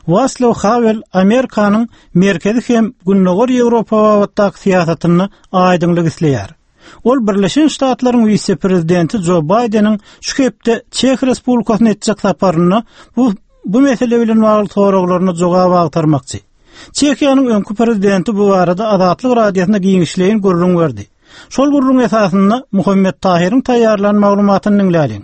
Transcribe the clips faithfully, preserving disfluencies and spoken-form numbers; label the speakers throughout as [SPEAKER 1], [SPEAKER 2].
[SPEAKER 1] Waslaw Hawel Amerikanyň Merkezi hem Gündogar Ýewropa babatdaky syýasatyny aýdyňlyk isleýär. Ol Birleşen Ştatlaryň wise-prezidenti Jo Baýdeniň şu hepde Çeh Respublikasyna etjek saparyna bu bu mesele bilen bagly soraglaryna jogap agtarmakçy. Çehiýanyň öňki prezidenti bu barada Azatlyk Radiosyna giňişleýin gürrüň berdi. Şol gürrüň esasynda Muhammet Tahyryň taýýarlan maglumatyny diňläliň.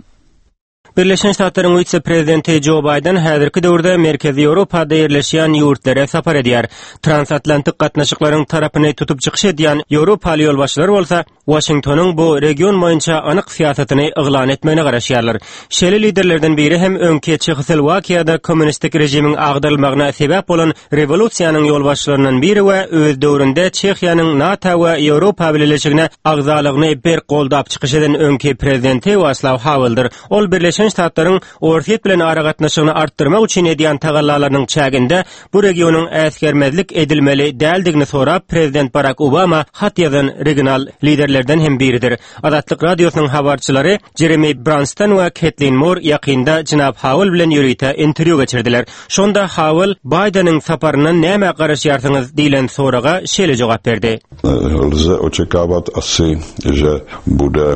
[SPEAKER 2] Birleşen Ştatlaryň wise-prezidenti Jo Baýden häzirki döwürde Merkezi Ýewropada ýerleşýän ýurtlara sapar edýär. Transatlantik gatnaşyklaryň tarapyny tutup çykyş edýän Ýewropaly ýolbaşçylar bolsa Waşingtonyň bu region boýunça anyk syýasatyny yglan etmegine garaşýarlar. Şeýle liderlerden biri hem öňki Çehoslowakiýada kommunistik režimiň agdarylmagyna sebäp bolan rewolýusiýanyň ýolbaşçylaryndan biri we öz döwründe Çehiýanyň NATO we Ýewropa Bileleşigine agzalygyny berk goldap çykyş eden öňki prezidenti Waslaw Haweldir. Ol Birleşen Ştatlaryň Orsýet bilen aragatnaşygyny artdyrmak üçin edýän tagallalarynyň çäginde bu regionyň äsgermezlik edilmeli däldigini sorap prezident Barack Obama hat ýazan regional liderlerden hem biridir. Azatlyk Radiosynyň habarçylary Jeremy Branston we Kathleen Moore ýakynda Jenap Hawel bilen ýörite interwýu geçirdiler. Şonda Hawel Baýdeniň saparyndan näme garaşýarsyňyz diýlen soraga şeýle jogap berdi.
[SPEAKER 3] Lze očekávat asi, že bude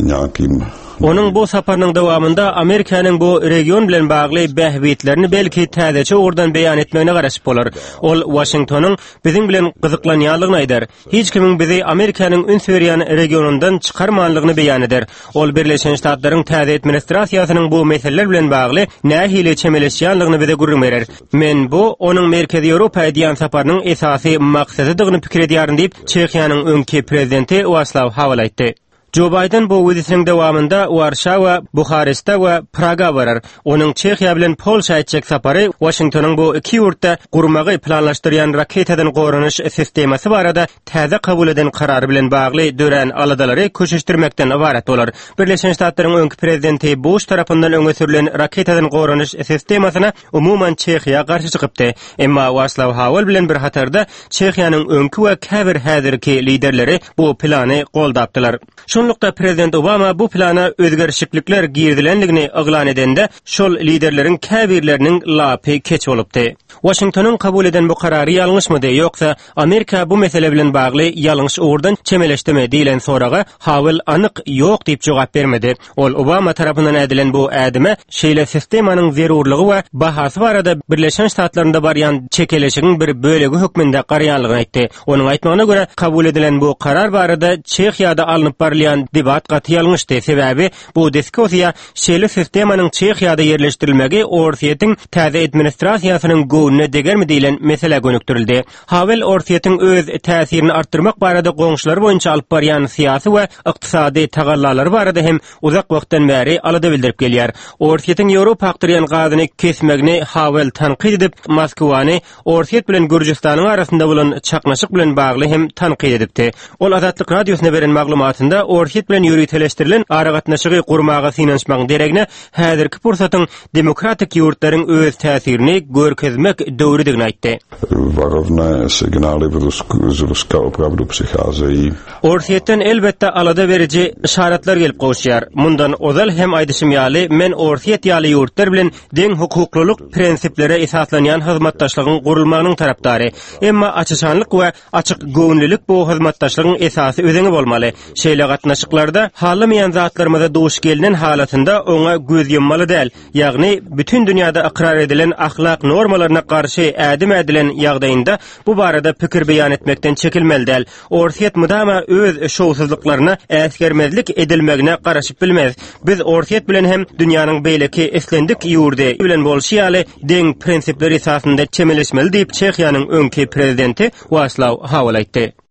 [SPEAKER 3] nějakým
[SPEAKER 2] Onuň bu saparynyň dowamynda Amerikanyň bu region bilen bagly bähbitlerini belki täzeçe ugurdan beýan etmegine garaşyp bolar. Ol Waşingtonyň biziň bilen gyzyklanýanlygyny aýdar. Hiç kimiň bizi Amerikanyň üns berýän regionundan çykarmanlygyny beýan eder. Ol Birleşen Ştatlaryň täze administrasiýasynyň bu meseleler bilen bagly nähili çemeleşýänligini bize gürrüň berer. Men bu onuň Merkezi Ýewropa edýän saparynyň esasy maksadydygyny pikir edýärin diýip, Çehiýanyň öňki prezidenti Waslaw Hawel aýtdy. Jo Baýden bu wizitiniň dowamynda Warşawa, Buhareste we Praga barar. Onuň Çehiýa bilen Polşa etjek sapary Waşingtonyň bu iki ýurtda gurmagy planlaşdyrýan raketadan goranyş sistemasy barada täze kabul eden karary bilen bagly dörän aladalary köşeşdirmekden ybarat bolar. Birleşen Ştatlaryň öňki prezidenti Bush tarapyndan öňe sürülen raketadan goranyş sistemasyna umuman Çehiýa garşy çykypdy. Emma Waslaw Hawel bilen bir hatarda Çehiýanyň öňki we käbir häzirki liderleri bu plany goldapdylar. Şonlukda prezident Obama bu plana özgerişiklikler girizilenligini yglan edende, şol liderleriň käbirleriniň lapy keç bolupdy. Waşingtonyň kabul eden bu karary ýalňyşmydy, ýoksa Amerika bu mesele bilen bagly ýalňyş ugurdan çemeleşdimi diýlen soraga Hawel anyk ýok diýip jogap bermedi. Ol Obama tarapyndan edilen bu ädime şeýle sistemanyň zerurlygy we bahasy barada Birleşen Ştatlarynda barýan çekeleşigiň bir bölegi hökmünde garaýanlygyny aýtdy. Onuň aýtmagyna görä, kabul edilen bu karar barada Çehiýada alnyp barylýan debat gaty ýalňyşdy. Sebäbi bu diskussiýa şeýle sistemanyň Çehiýada ýerleşdirilmegi Orsýetiň täze administrasiýasynyň göwnüne degermi diýlen mesele gönükdirildi. Hawel Orsýetiň öz täsirini artdyrmak barada goňşular boýunça alyp barýan syýasy we ykdysady tagallalary barada hem uzak wagtdan bäri alada bildirip gelýär. Orsýetiň Ýewropa akdyrýan gazyny kesmegini Hawel tankyt edip, Moskwany Orsýet bilen Gürjüstanyň arasynda bolan çaknyşyk bilen bagly hem tankyt edipdi. Ol Azatlyk Radiosyna beren maglumatynda Orsýet bilen ýöriteleşdirilen aragatnaşygy gurmaga synanyşmagyň deregine häzirki pursatyň demokratik ýurtlaryň öz täsirini görkezmek döwrüdigini aýtdy.
[SPEAKER 3] Varovné signály v Rusku, z Ruska opravdu přicházejí.
[SPEAKER 2] Orsýetden elbetde alada beriji işaretler gelip gowuşýar. Mundan ozal hem aýdyşym ýaly, men Orsýet ýaly ýurtlar bilen deň hukuklylyk prinsiplere esaslanýan hyzmatdaşlygyň gurulmagynyň tarapdary. Emma açyşanlyk we açyk göwünlilik bu hyzmatdaşlygyň esasy özeni bolmaly. Şeýle gatnaşyklarda halamaýan zatlarymyza duş gelinen halatynda oňa göz ýummaly däl. Ýagny bütün dünýäde ykrar edilen ahlak normalaryna garşy ädim ädilen ýagdaýynda bu barada pikir beýan etmekden çekilmeli däl. Orsýet mudama öz şowsuzlyklaryna äsgermezlik edilmegine garaşyp bilmez. Biz Orsýet bilen hem dünýäniň beýleki islendik ýurdy bilen bolşy ýaly deň prinsipler esasynda çemeleşmeli diýip Çehiýanyň öňki prezidenti Waslaw Hawel aýtdy.